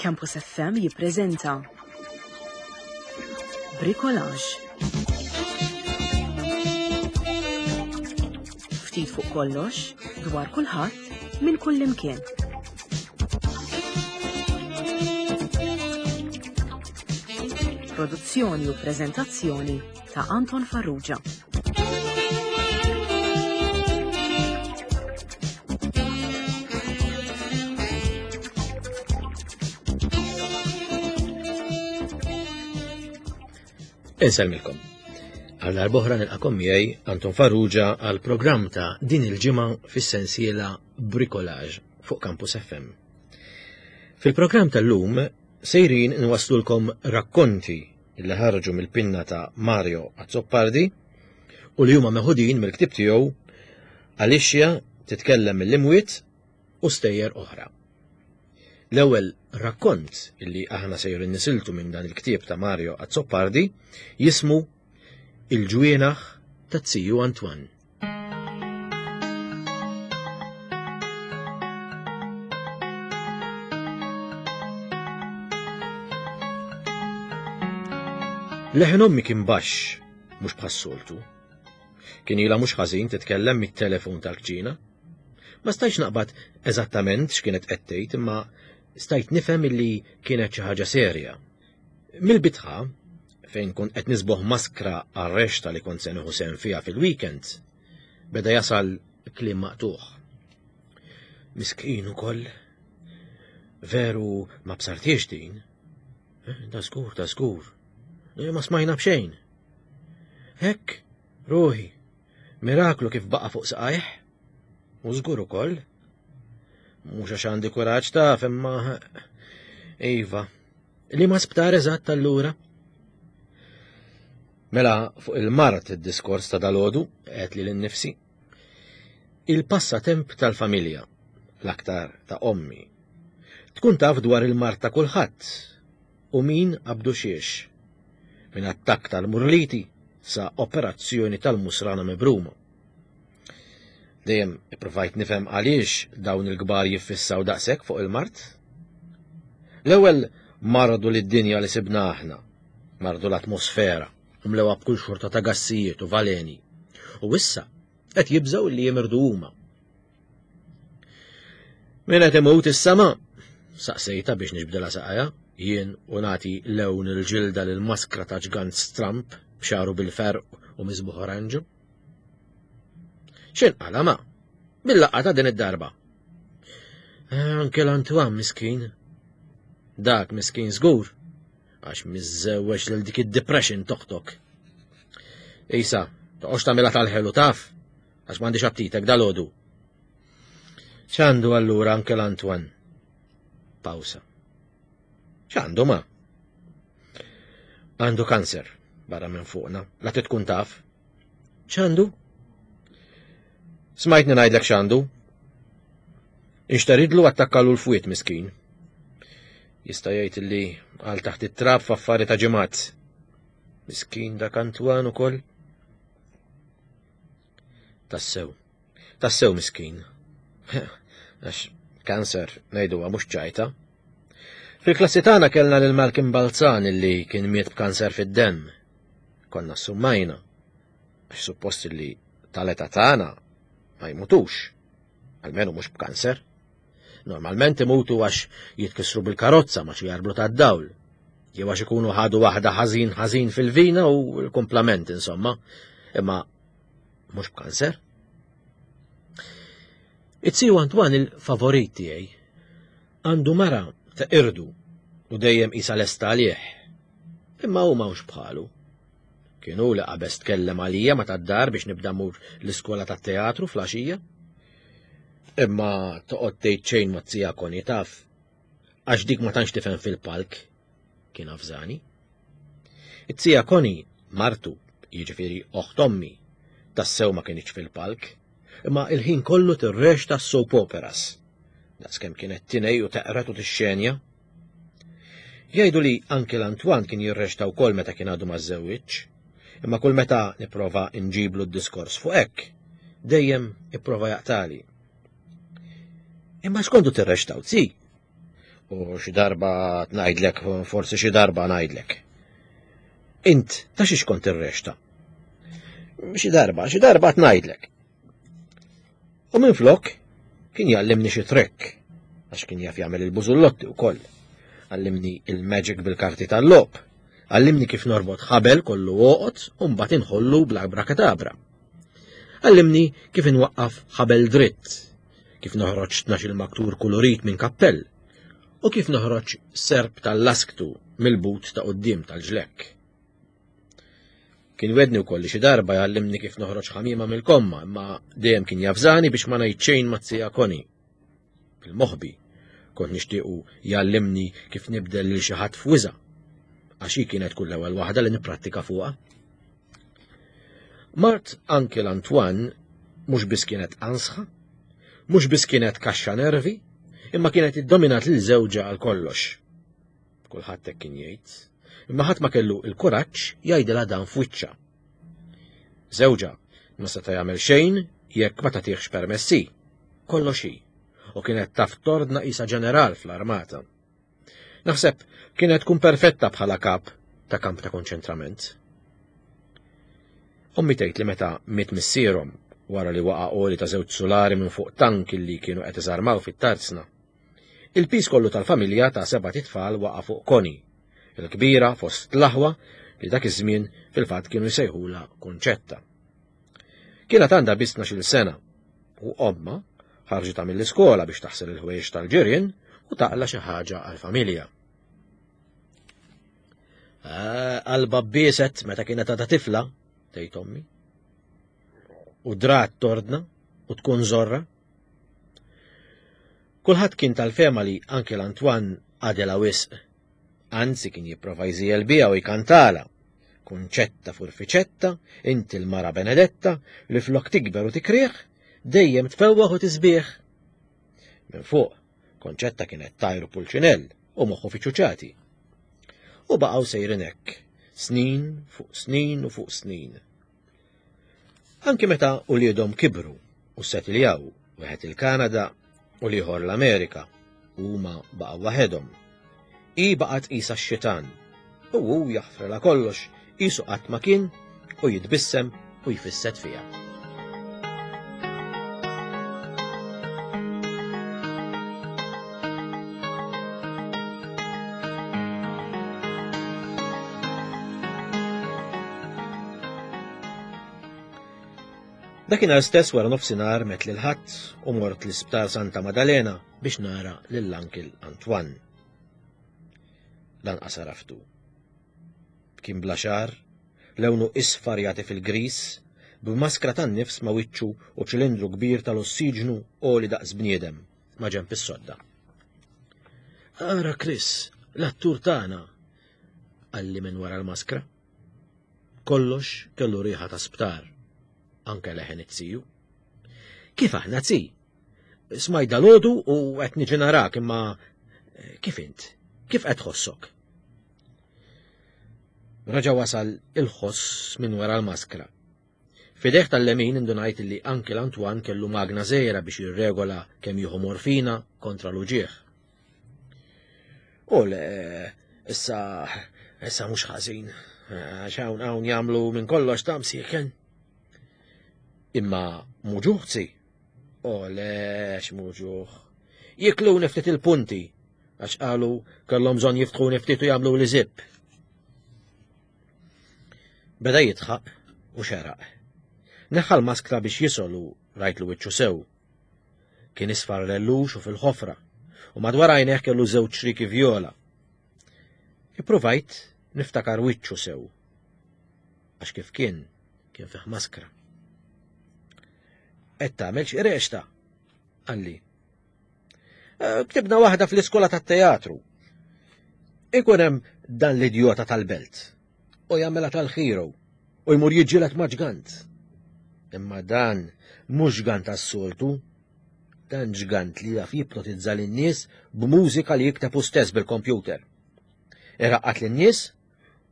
Campus FM jippreżenta Bricolage. Ftit fuq kollox, dwar kulħadd, minn kullimkien. Produzzjoni u preżentazzjoni ta' Anton Farrugia. Insellmilkom. Għal darbohra nilqakom miegħi Anton Farrugia għal programm ta' din il-ġimgħa fis-sensiela Bricolage fuq Campus FM. Fil-programm tal-lum sejrin nwaslulkom rakkonti li ħarġu mill-pinna ta' Mario Azzopardi u li huma meħudin mill-ktieb tiegħu Alicia titkellem mill-imwiet u stejjer oħra. L-ewwel rakkont illi aħna sejrin nisiltu minn dan il-ktieb ta' Mario Azzopardi jismu Il-ġwienaħ ta' Ziju Antoine. Leħen ommi kien baxx, mhux bħas-soltu. Kien ilha mhux ħażin titkellem mit-telefon tal-kċina. Ma stajtx naqbad eżattament x'kienet qed tgħid imma stajt nifhem illi kienet xi ħaġa serja. Mill-bitħa, fejn kont qed nisboħ maskra għar-rexta li kont se nieħu sehem fiha fil-weekend, beda jasal kliem maqtugħ. Miskin ukoll. Veru ma bsartiex din. Eh, da żgur, da żgur. Eh, ma smajna b'xejn. Hekk, ruħi, miraklu kif baqa' fuq saqajh. U żgur ukoll. Mhux għax għandi kuraġġ taf imma iva. Li ma sptar eżatt allura? Mela fuq il-mart id-diskors ta' dalodu qed li l-nifsi. Il-passatemp tal-familja, l-aktar ta' ommi. Tkun taf dwar il-mart ta' kulħadd u min qabdu xiex. Minn attakk tal-murliti sa operazzjoni tal-musrana mibruma. Dejjem ippruvajt nifhem għaliex dawn il-kbar jiffissaw daqshekk fuq il-mard. L-ewwel mardu lid-dinja li sibna aħna, mardu l-atmosfera, u mlewha b'kull xorta ta' gassijiet u valeni. U issa qed jibżgħu li jimirdu huma. Min qed imut is-sama? Saqsejta biex nixbdilha saqajha, jien u nagħti lewn il-ġilda lil maskra ta' ġgant stramp b'xaru bil-ferq u miżbuħ oranġu. X'inqala ma? Bil-laqgħa ta' din id-darba. Eh, anke l-Antoine miskin. Dak miskin żgur, għax miżżewweġ lil dik id-depression toqtok. Isa, toqgħodx tagħmilha tal-ħelu taf, għax m'għandix aptitek dal-għodu. X'għandu allura anke l-Antoine? Pawsa. X'għandu ma? Għandu kanser barra minn fuqna, la tkun taf. X'għandu? Smajtni ngħidlek x'għandu. Inxtaridlu attakkalu l-fwiet miskin. Jista' jgħid li għal taħt it-trab f'affari ta' ġimgħat. Miskin dak Antwan ukoll. Tassew. Tassew miskin. Għax kanser ngħiduha mhux ċajta. Fil-klassi tagħna kellna lil Malcolm Balzan illi kien miet b'kanser fid-demm. Konna summajna, għax suppost li tal-età tagħna ma jmutux, almenu mhux b'kanser. Normalment imutu għax jitkissru bil-karozza ma xi jarblu tad-dawl, jew għax ikunu ħadu waħda ħażin ħażin fil-vina u l-kumplament insomma, imma mhux b'kanser. It-siju Antoine il-favorit tiegħi għandu mara ta' irdu u dejjem isa lesta għalih. Imma hu m'hawnx bħalu. Kien hu li qabeż tkellem għalija ma tad-dar biex nibda mur l-iskola tat-teatru fl-għaxija. Imma toqgħod tgħid xejn ma tsia koni taf, għax dik ma tantx tifhem fil-palk, kien avżani. It-tija Koni, martu, jiġifieri oħt ommi, tassew ma kinitx fil-palk, imma il-ħin kollu tirrexta s-soap operas. Daqskemm kienet tinej u teqret u tixxenja. Jgħidu li anki l-Antwan kien jirrexta wkoll meta kien għadu ma żewwiġ, imma kull meta nipprova nġiblu d-diskors fuq hekk, dejjem ipprova jaqtali. Imma x'kontu tirrextaw, zi? U xi darba ngħidlek, forsi xi darba ngħidlek. Int ta' xiex kont irrexta? Xi darba, xi darba ngħidlek. U minflok kien jgħallimni xi trekk, għax kien jaf jagħmel il-bużullotti wkoll. Għallimni il-magic bil-karti tal-logħob. Għallimni kif norbot ħabel kollu għoqod u mbagħad inħollu bl-abrakatabra. Għallimni kif inwaqqaf ħabel dritt, kif noħroġ 12 maktur kulurit minn kappell u kif noħroġ serp tal-lasktu mill-but ta' quddiem tal-ġlekk. Kien wedni wkoll li xi darba jgħallimni kif noħroġ ħamiema mill-komma, imma dejjem kien javżani biex ma ngħid xejn ma' zija Connie. Fil-moħbi, kont nixtiequ jgħallimni kif nibdel lil xi ħadd f'wiża, għax hi kienet kull ewwel waħda li nipprattika fuqha. Mart Uncle Antoine mhux biss kienet ansħa, mhux biss kienet kaxxa nervi, imma kienet iddominat lil żewġha għal kollox. Kulħadd hekk kien jgħid. Imma ħadd ma kellu l-kuraġġ jgħidilha dan f'wiċċha. Żewġha ma seta' jagħmel xejn jekk ma tagħtihx permessi. Kollox hi. U kienet taf tordna qisha ġeneral fl-armata. Naħseb kienet tkun perfetta bħala kap ta' kamp ta' konċentrament. Ommi tgħid li meta miet missierhom wara li waqa' għoli ta' żewġ sulari minn fuq tank li kienu qed iżarmaw fit-tarzna, Il-piż kollu tal-familja ta' sebat itfal waqa' fuq Connie, il-kbira fost l-aħwa li dak iż-żmien fil-fatt kienu jsejħulha Kunċetta. Kienet għandha biss 12-il sena u ommha ħarġitha mill-iskola biex taħsel il-ħwejjeġ tal-ġirien u taqla' xi ħaġa għall-familja. Ah, qalbha bieset meta kienet għadha tifla, tgħid ommi. U drat tordna u tkun żorra. Kulħadd kien tal-fehma li Uncle Antoine għadilha wisq. Anzi kien jipprova jżiegħel biha u jkantalha. Kunċetta furfiċetta, inti l-mara benedetta li flok tikber u tikrih, dejjem tfewwaħ u tisbieħ. Minn fuq, Konċetta kienet tajru pulċinell u moħħu fi ċuċati. U baqgħu sejrin hekk, snin fuq snin u fuq snin. Anki meta uliedhom kibru u ssetiljaw, wieħed il-Kanada u l-ieħor l-Amerika, u huma baqgħu waħedhom. Hi baqgħet qisha x-xitan, u hu jaħfrilha kollox qisu qatt ma kien u jitbissem u jfisset fiha. Dakinhar stess wara nofsinhar met lil ħadd u mort l-Isptar Santa Madalena biex nara lill-Uncle Antoine. Lanqas għaraftu. Kien bla xagħar, lewnu isfar jagħti fil-gris, b'maskra tan-nifs ma' wiċċu u ċilindru kbir tal-ossiġnu għoli daqs bniedem ma' ġenb is-sodda. Ara Chris, l-attur tagħna, qalli minn wara l-maskra. Kollox kellu riħa ta' sptar, anke leħen it-siju. Kif aħna zi? Smajt dalodu u qed niġi narak imma eh, kif int? Kif qed tħossok? Raġa wasal il-ħoss minn wara l-maskra. Fideh tal-lemin indunajt li anki l-Antoine kellu magna żgħira biex jirregola kemm jieħu morfina kontra l-uġieħ. U le, issa, issa mhux ħażin, għax hawn hawn jagħmlu minn kollox ta' msieken. Imma muġuħ zi. O le, x'muġuħ. Jikluni ftit il-punti, għax qalu kellhom bżonn jiftħuni ftit u jagħmlu li zip. Beda jidħaq u xeraq. Neħħa l-maskra biex jisol u rajtlu wiċċu sew. Kien isfar lellux u fil-ħofra, u madwar għajnejh kellu żewġ xriki vjola. Ippruvajt niftakar wiċċu sew. Għax kif kien, kien fih maskra. Qed tagħmel xi rexta, qalli. Eh, ktibna waħda fl-iskola tat-teatru. Ikun hemm dan l-idjota tal-belt u jagħmilha tal-hero u jmur jiġġieled ma' ġgant. Imma dan mhux ġgant tas-soltu, dan ġgant li jaf jipnotizza lin-nies b'mużika li jikteb hu stess bil-kompjuter. Iraqqat lin-nies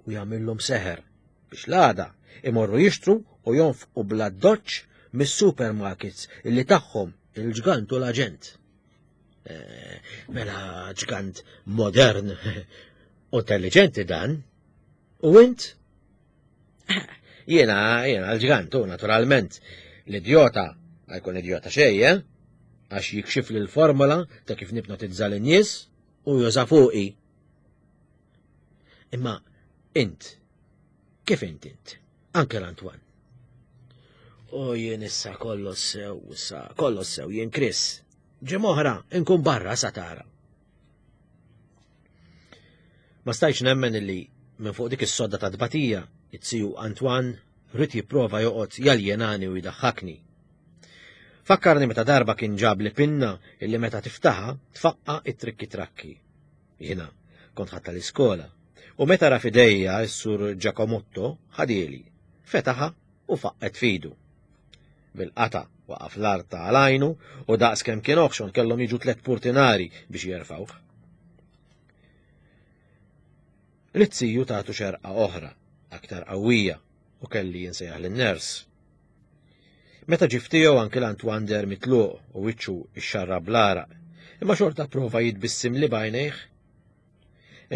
u jagħmilhom seħer biex l-għada imorru jixtru u jonfqu bla doċċ mis-supermarkets illi tagħhom il-ġgant u l-aġent. Eh, mela ġgant modern u intelligenti dan. U int? Jiena, jiena l-ġgant, u naturalment, l-idjota ma jkun idjota xejn, eh? Għax jikxif li l-formola ta' kif nipnotizza l-nies u juża fuqi. Imma int, kif int int? Anke l-Antoine. U jien issa kollox sew, issa kollox sew, jien Chris. Ġimgħa inkun barra sa tara. Ma stajtx nemmen illi minn fuq dik is-sodda ta' tbatija, it-siju Antoine rrid jipprova joqgħod jaljenani u jdaħħakni. Fakkarni meta darba kien ġab li pinna illi meta tiftaħa tfaqqa it-trikki trakki. Jiena kont ħadd tal-iskola u meta ra f'idejja s-sur Giacomotto ħadieli, fetaħa u faqqet fidu. Bil-qata waqaf l-art ta' għajnu u daqs kemm kien oħxon kellhom jiġu tlet purtinari biex jerfawh. L-izziju tagħtu xerqa oħra, aktar qawwija, u kelli jinsejjaħ lin-ners. Meta ġie ftiegħu anki l-Antoine deher mitluq u wiċċu ixxarrab bl-għaraq, imma xorta pprova jitbissimli b'għajnejh.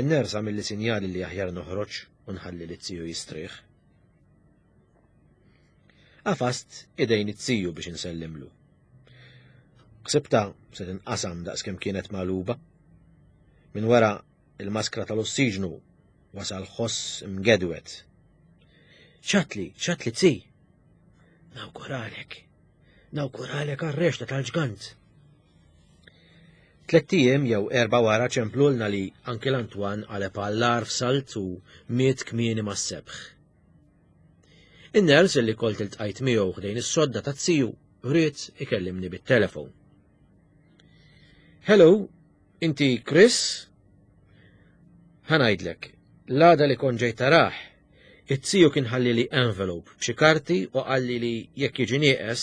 In-ners għamilli sinjali li aħjar noħroġ u nħalli lit-tiju jistrieħ. Għafast idejn it-tiju biex insellimlu. Ħsibtha se tinqasam daqskemm kienet magħluba. Minn wara il-maskra tal-ossiġnu wasal ħoss mgedwed. Ċatli, ċatli tzi! Nawguralek, nawguralek għar-rexta tal-ġgant. Tlett ijiem jew erba' wara ċemplulna li anki l-Antoine qaleb għall-agħar f'salt u miet kmieni mas-sebħ. In-ners li kont iltqajt miegħu ħdejn is-sodda taz-ziju ried ikellimni bit-telefon. Hello, Inti Chris? Ħa ngħidlek, l-għada li kont ġejt tarah, it-ziju kien ħallili envelope b'xi karti u qalli li jekk jiġi nieqes,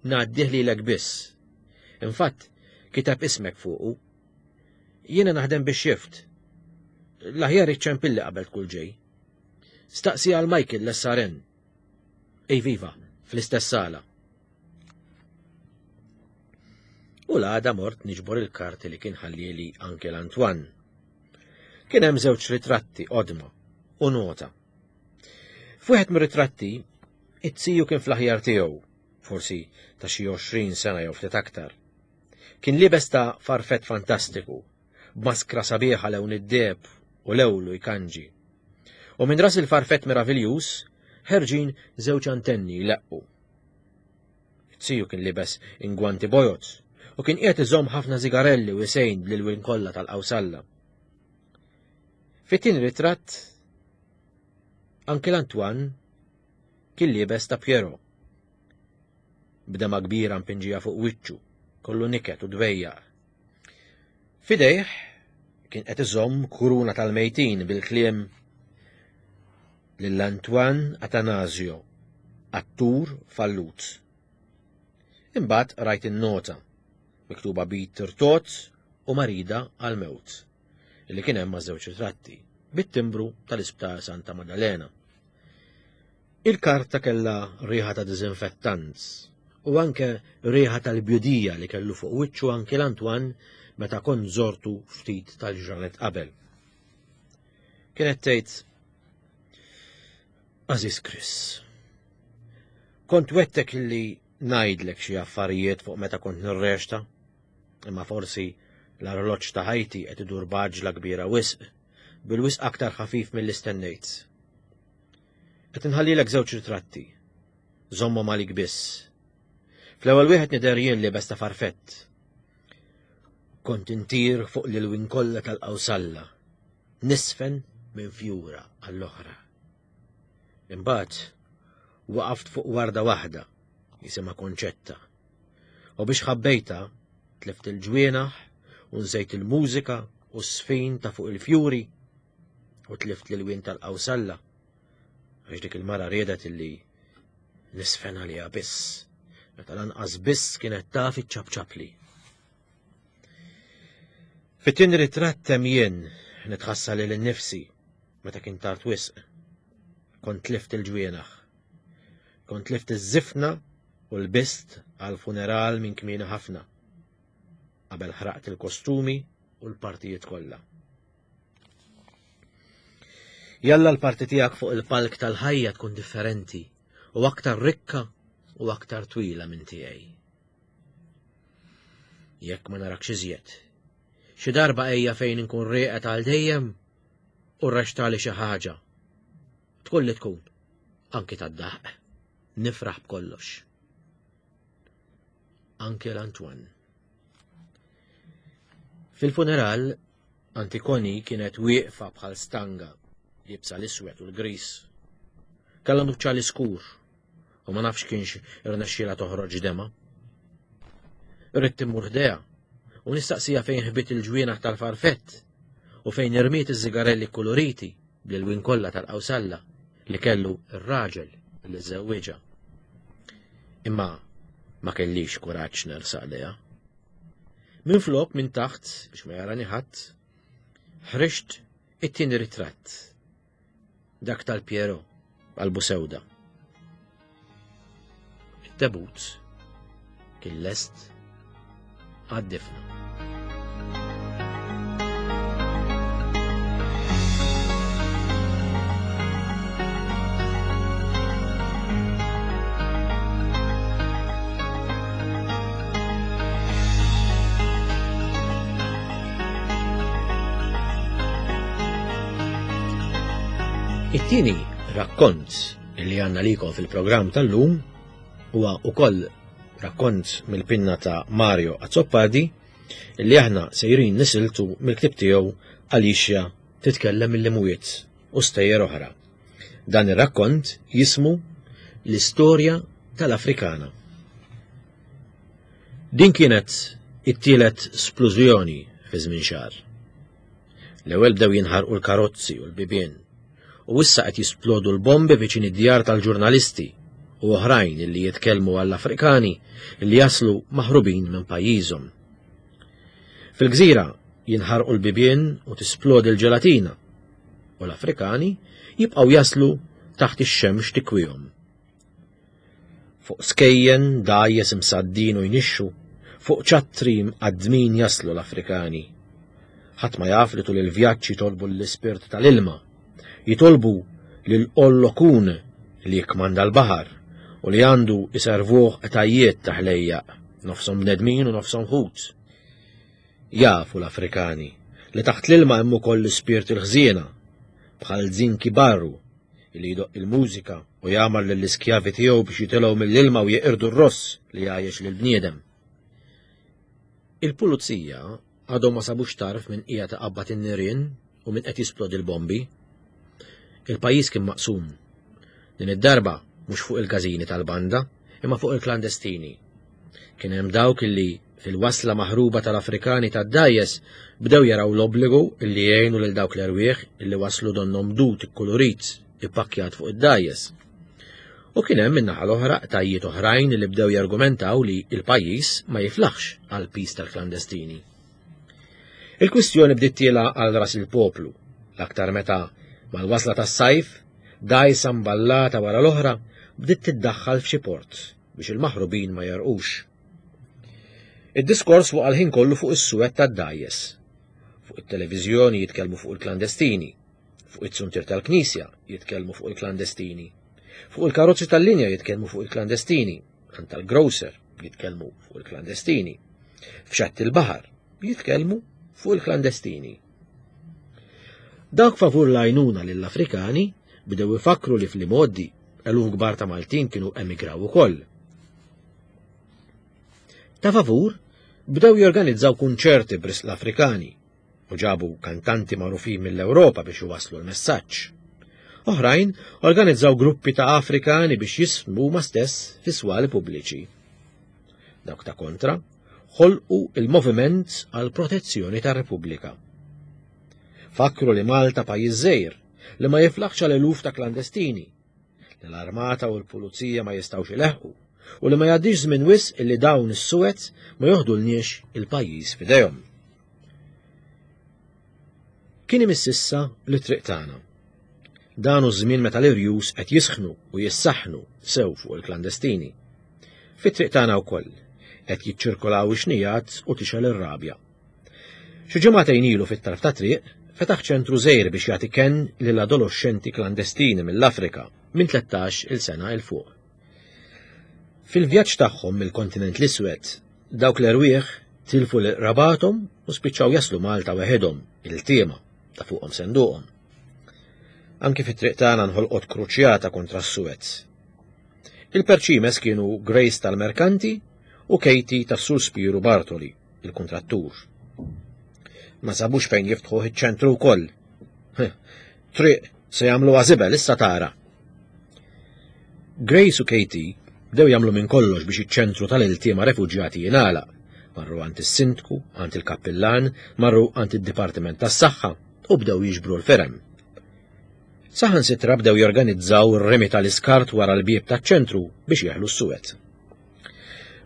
ngħaddih lilek biss. Infatt, kiteb ismek fuqu. Jiena naħdem bix-shift. L-aħjar iċċempilli qabel tkun ġej. Staqsi għal Michael l-SRN. Iviva, fl-istess sala. U l-għada mort niġbor il-karti li kien ħallieli anke l-Antoine. Kien hemm żewġ ritratti qodma u nota. F'wieħed mir-ritratti, it-tiju kien fl-aħjar tiegħu, forsi ta' xi 20 sena jew ftit aktar. Kien liebes ta' farfett fantastiku, b'maskra sabiħa lewn id-deheb u lewlu jkanġi. U minn ras il-farfett meraviljuż ħerġin żewġ antenni jleqqu. It-tiju kien libes ingwanti bojod u kien qiegħed iżomm ħafna zigarelli u jsejn bl-ilwien kollha tal-qawsalla. Fit-tieni ritratt anke l-Antoine kien liebes ta' Piero. B'dema kbira mpinġija fuq wiċċu, kollu niket u dwejjaq. Fidejh kien qed iżomm kuruna tal-mejtin bil-kliem lil Antoine Atanasio, attur fallut. Imbagħad rajt in-nota, miktuba b'id tirtot u marida għall-mewt, li kien hemm ma' żewġ ritratti, bit-timbru tal-Isptar Santa Maddalena. Il-karta kellha riħa ta' diżinfettant u anke riħa tal-bjudija li kellu fuq wiċċu anke l-Antoine meta kont żortu ftit tal-ġranet qabel. Kienet tgħid Aziz Chris, kont wettek li ngħidlek xi affarijiet fuq meta kont nirrexta, imma forsi l-arloġġ ta' ħajti qed idur b'għaġla kbira wisq, bil-wisq aktar ħafif milli stennejt. Qed inħallilek żewġ ritratti. Żommhom għalik biss. Fl-ewwel wieħed nidher jien liebes ta' farfett. Kont intir fuq l-ilwien kollha tal-qawsalla, nisfen minn fjura għall-oħra. Imbagħad waqaft fuq warda waħda jisimha Konċetta. U biex ħabbejta, tlift il-ġwienaħ u nsejt il-mużika u s-sfin ta' fuq il-fjuri u tlift l-ilwien tal-qawsalla għax dik il-mara riedet illi nisfen għaliha biss, meta lanqas biss kienet taf iċċapċapli. Fit-tieni ritratt hemm jien nitħassa lil innifsi meta kien tard wisq. Kont tlift il-ġwienaħ. Kont tlift iż-żifna u l-bist għal funeral minn kmieni ħafna. qabel ħraqt il-kostumi u l-partijiet kollha. Jalla l-parti tiegħek fuq il-palk tal-ħajja tkun differenti u aktar rikka u aktar twila minn tiegħi. Jekk ma narakx iżjed, xi darba ejja fejn inkun rieqet għal dejjem u rrextali xi ħaġa. Tkun li tkun, anki tad-daħq, nifraħ b'kollox. Anke l-Antoine. Fil-funeral, Antikoni kienet wieqfa bħal stanga, liebsa l-iswed u l-gris. Kellha nuċċali skur u ma nafx kienx irnexxielha toħroġ dema. Ridt immur ħdejha u nistaqsija fejn ħbit il-ġwienaħ tal-farfett u fejn irmiet iż-żigarelli kkuluriti bl-ilwien kollha tal-qawsalla li kellu r-raġel li żewwiġha. Imma ma kellix kuraġġ nersaq lejha. Minflok minn taħt biex ma jarani ħadd, ħriġt it-tieni ritratt. Dak tal-Piero, qalbu sewda. It-tebut kien lest għad-difna. It-tieni rakkont li għanna likom fil-programm tal-lum huwa ukoll rakkont mill-pinna ta' Mario Azzopardi li aħna sejrin nisiltu mill-ktib tiegħu Alicia titkellem mill-imwiet u stejjer oħra. Dan ir-rakkont jismu L-istorja tal-Afrikana. Din kienet it-tielet splużjoni fi żmien xahar. L-ewwel bdew jinħarqu l-karozzi u l-bibien, u issa qed jisplodu l-bombi viċin id-djar tal-ġurnalisti u oħrajn li jitkellmu għall-Afrikani li jaslu maħrubin minn pajjiżhom. Fil-gżira jinħarqu l-bibien u tisplodi l-ġelatina, u l-Afrikani jibqgħu jaslu taħt ix-xemx tikwihom. Fuq skejjen dgħajjes imsaddin u jnixxu, fuq ċattri mqaddmin jaslu l-Afrikani. Ħadd ma jaf li tul il-vjaġġ jitolbu l-ispirt tal-ilma, jitolbu lil Ollokun li jikkmanda l-baħar u li għandu iservuh qtajjiet ta' ħlejjaq, nofshom bnedmin u nofshom ħut. Jafu l-Afrikani li taħt l-ilma hemm ukoll l-ispirti l-ħżiena, bħal Zinki Barru, li jdoqq il-mużika u jagħmar lill-iskjavi tiegħu biex jitilgħu mill-ilma u jeqirdu r-ross li jgħajjex lill-bniedem. Il-pulizija għadhom ma sabux tarf minn qiegħed iqabbad in-nirien u min qed jisplodi l-bombi. Il-pajjiż kien maqsum. Din id-darba mhux fuq il-każini tal-banda, imma fuq il-klandestini. Kien hemm dawk illi fil-wasla maħruba tal-Afrikani tad-dgħajjes bdew jaraw l-obbligu illi jgħinu lil dawk l-erwieħ illi waslu donnhom dud ikkulurit ippakkjat fuq id-dgħajjes. U kien hemm min-naħa l-oħra qtajjiet oħrajn li bdew jargumentaw li l-pajjiż ma jiflaħx għall-piż tal-klandestini. Il-kwistjoni bdiet tiela għal ras il-poplu, l-aktar meta mal-wasla tas-sajf, dgħajsa mballata wara l-oħra bdiet tiddaħħal f'xi port biex il-maħrubin ma jarqux. Id-diskors waqa' l-ħin kollu fuq is-suwed tad-dgħajjes. Fuq it-televiżjoni jitkellmu fuq il-klandestini, fuq it-suntier tal-knisja jitkellmu fuq il-klandestini, fuq il-karozzi tal-linja jitkellmu fuq il-klandestini, għand tal-grocer jitkellmu fuq il-klandestini, f'xatt il-baħar jitkellmu fuq il-klandestini. Dawk favur l-għajnuna lill-Afrikani bdew ifakkru li fl-imgħoddi eluf kbar ta' Maltin kienu emigraw ukoll. Ta' favur bdew jorganizzaw kunċerti b'risq l-Afrikani u ġabu kantanti magħrufin mill-Ewropa biex iwasslu l-messaġġ. Oħrajn organizzaw gruppi ta' Afrikani biex jismu huma stess fi swali pubbliċi. Dawk ta' kontra ħolqu il-Moviment għal Protezzjoni tar-Repubblika. Fakru li Malta pajjiż żgħir li ma jiflaħx għal eluf ta' klandestini, li l-armata u l-pulizija ma jistgħux ileħqu u li ma jgħaddix żmien wisq illi dawn is-suwed ma joħdulniex il-pajjiż f'idejhom. Kien imiss issa li triq tagħna. Dan hu żmien meta l-irjus qed jisħnu u jissaħħnu sew fuq il-klandestini. Fit-triq tagħna wkoll. Qed jiċċirkolaw ix-xnijat u tixgħel ir-rabja. Xi ġimagħtejn ilu fit-tarf ta' triq fetaħ ċentru żgħir biex jagħti kenn lil adoloxxenti klandestini mill-Afrika minn 13 il sena 'il fuq. Fil-vjaġġ tagħhom mill-kontinent l-iswed, dawk l-erwieħ tilfu lil qrabathom u spiċċaw jaslu Malta weħidhom, iltiema, ta' fuqhom senduqhom. Anki fit-triq tagħna nħolqot kruċjata kontra s-Suez. Il-perċimes kienu Grace tal-Merkanti u Katie tas-Sur Spiru Bartoli, il-kuntrattur. Ma sabux fejn jiftħuh iċ-ċentru wkoll. Triq se jagħmlu żibel issa tara. Grace u Katie bdew jagħmlu minn kollox biex iċ-ċentru tal-iltiema refuġjati jingħalaq. Marru għand is-sindku, għand il-kappillan, marru għand id-Dipartiment tas-Saħħa u bdew jiġbru l-firem. Saħansitra bdew jorganizzaw ir-rimi tal-iskart wara l-bieb taċ-ċentru biex jeħlu s-suwed.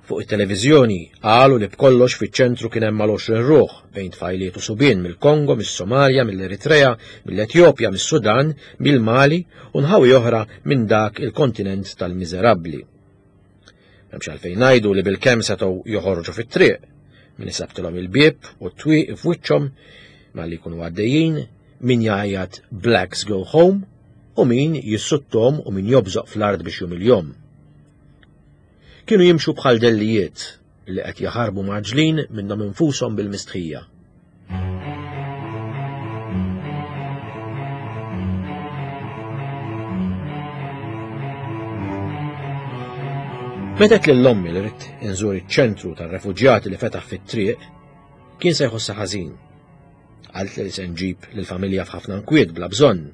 Fuq it-televiżjoni qalu li b'kollox fiċ-ċentru kien hemm mal-20 ruħ bejn tfajliet u subien mill-Kongo, mis-Somalja, mill-Eritrea, mill-Etjopja, mis-Sudan, mill-Mali u nħawi oħra minn dak il-kontinent tal-miżerabbli. M'hemmx għalfejn ngħidu li bilkemm setgħu joħorġu fit-triq, min isabtilhom il-bieb u t-twieq f'wiċċhom malli jkunu għaddejjin, min jgħajjat Blacks go home u min jissuttom u min jobżoq fl-art biex jumiljhom. Kienu jimxu bħal dellijiet li qed jaħarbu mgħaġġlin minnhom infushom bil-mistħija. Meta għedt lil ommi li ridt inżur iċ-ċentru tar-refuġjati li fetaħ fit-triq, kien se jħossha ħażin. Qaltli li se nġib lill-familja f'ħafna nkwiet bla bżonn.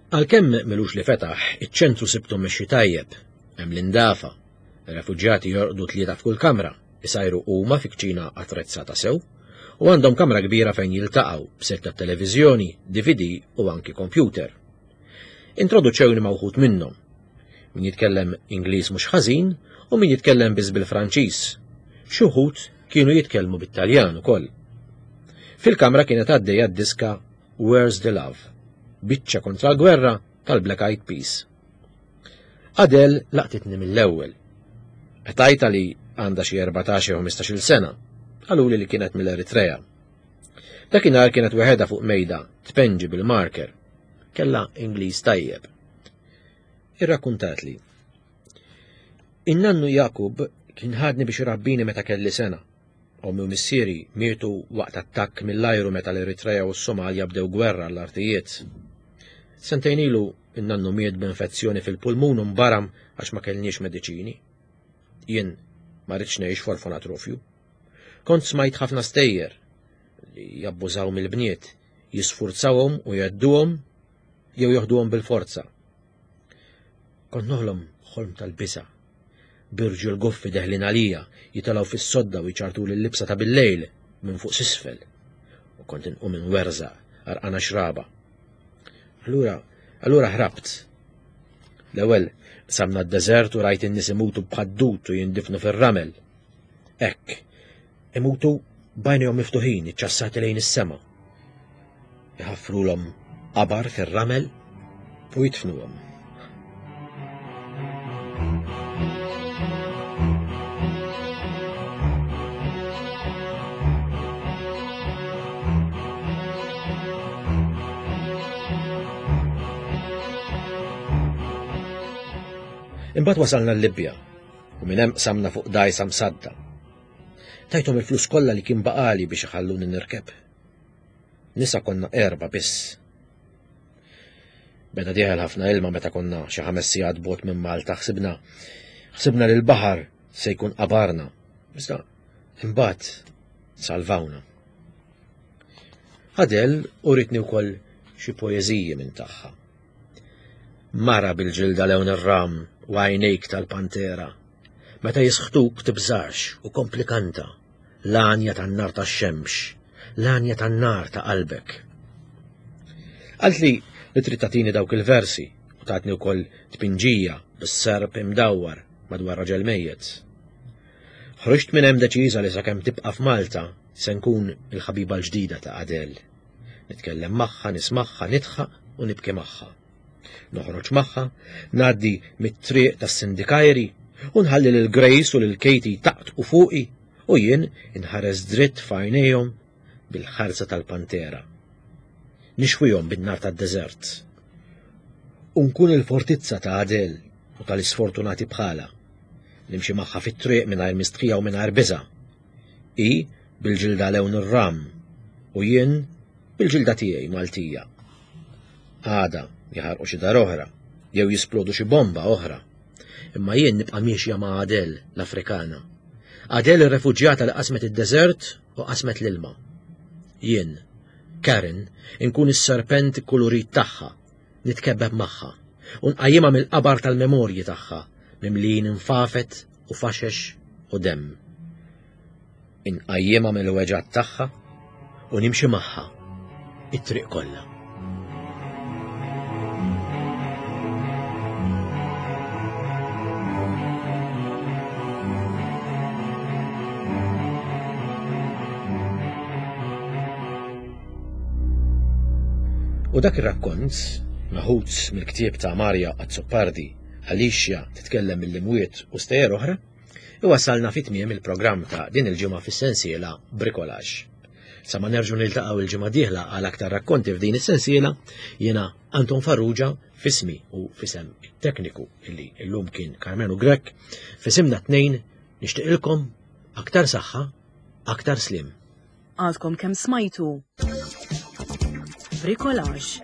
Għalkemm m'ilux li fetaħ, iċ-ċentru sibtu mmexxi tajjeb, hemm l-indafa, ir-refuġjati jorqdu tlieta f'kull kamra, isajru huma fi kċina attrezzata sew, u għandhom kamra kbira fejn jiltaqgħu b'sett tat-televiżjoni, DVD u anki kompjuter. Introduċewni ma' wħud minnhom. Min jitkellem Ingliż mhux ħażin u min jitkellem biss bil-Franċiż. Xi wħud kienu jitkellmu bit-Taljan ukoll. Fil-kamra kienet għaddejja d-diska Where's the Love? Biċċa kontra l-gwerra tal-Black Eyed Peas. Adele laqtitni mill-ewwel. Qtajta li għandha xi 14 jew 15-il sena. Qaluli li kienet mill-Eritrea. Dakinhar kienet weħedha fuq mejda tpenġi bil-marker. Kellha Ingliż tajjeb. Irrakkuntatli. In-nannu Jakub kien ħadni biex irabbini meta kelli sena. Ommi u missieri mietu waqt attakk mill-ajru meta l-Eritrea u s-Somalja bdew gwerra għall-artijiet. Sentejn ilu in-nannu miet b'infezzjoni fil-pulmun u nbaram għax ma kellniex mediċini. Jien ma ridtx ngħix f'orfanatrofju. Kont smajt ħafna stejjer li jabbużaw mill-bniet, jisfurzawhom u jgħedduhom jew joħduhom bil-forza. Kont noħlom ħolm tal-biża'. B'irġiel goffi deħlin għalija, jitilgħu fis-sodda u jċartuli l-libsa ta' billejl minn fuq s'isfel. U kont inqum inwerżaq, għarqana xraba. Allura, allura ħrabt. L-ewwel qsamna d-deżert u rajt in-nies imutu bħad-dud u jindifnu fir-ramel. Hekk, imutu b'għajnejhom miftuħin iċċassati lejn is-sema. Iħaffrulhom qabar fir-ramel u jidfnuhom. Imbagħad wasalna l-Libja u minn hemm qsamna fuq dgħajsa msadda. Tajthom il-flus kollha li kien baqali biex iħalluni nirkeb. Nisa konna erba biss. Beda dieħel ħafna ilma meta konna xi ħames sigħat bot minn Malta ħsibna ħsibna li l-baħar se jkun qabarna. Iżda imbagħad salvawna. Adel uritni wkoll xi poeżiji minn tagħha. Mara bil-ġilda lewn ir-ram u għajnejk tal-pantera. Meta jisħtuk tibżax u kompli kanta. L-għanja tan-nar tax-xemx, l-għanja tan-nar ta' qalbek. Qaltli li trid tagħtini dawk il-versi u tatni wkoll tpinġija bis-serp imdawwar madwar raġel mejjet. Ħriġt minn hemm deċiża li sakemm tibqa' f'Malta se nkun il-ħabiba l-ġdida ta' Adele. Nitkellem magħha, nismagħha, nidħaq u nibki magħha. Noħroġ magħha, ngħaddi mit-triq tas-Sindikajri. U nħalli lil Grace u lil Katie taqtqu fuqi u jien inħares dritt f'għajnejhom bil-ħarsa tal-pantera. Nixwihom bin-nar tad-deżert. U nkun il-fortizza ta' Adele u tal-isfortunati bħala. Nimxi magħha fit-triq mingħajr mistħija u mingħajr biża'. Hi bil-ġilda lewn ir-ram u jien bil-ġilda tiegħi Maltija. Għada jaħarqu xi dar oħra jew jisplodu xi bomba oħra. Imma jien nibqa' miexja ma' Adele l-Afrikana. Adele ir-refuġjata li qasmet id-deżert u qasmet l-ilma. Jien, Karen, inkun is-serpent ikkulurit tagħha, nitkebbeb magħha u nqajjimha mill-qabar tal-memorji tagħha mimlijin infafet u faxex u demm. Inqajjimha mill-weġgħat tagħha u nimxi magħha it-triq kollha. U dak ir-rakkont, meħud mill-ktieb ta' Maria Azzopardi, Alicia titkellem mill-imwiet u stejjer oħra, iwassalna fi tmiem il-programm ta' din il-ġimgħa fis-sensiela Bricolage. Sa ma nerġgħu niltaqgħu il-ġimgħa dieħla għal aktar rakkonti f'din is-sensiela, jiena Anton Farrugia fismi u fisem it-tekniku illi llum kien Karmenu Grech, fisimna tnejn nixtieqilkom aktar saħħa, aktar slim. Għadkom kemm smajtu Bricolage.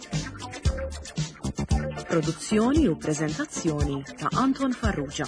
Produzzjoni u preżentazzjoni ta' Anton Farrugia.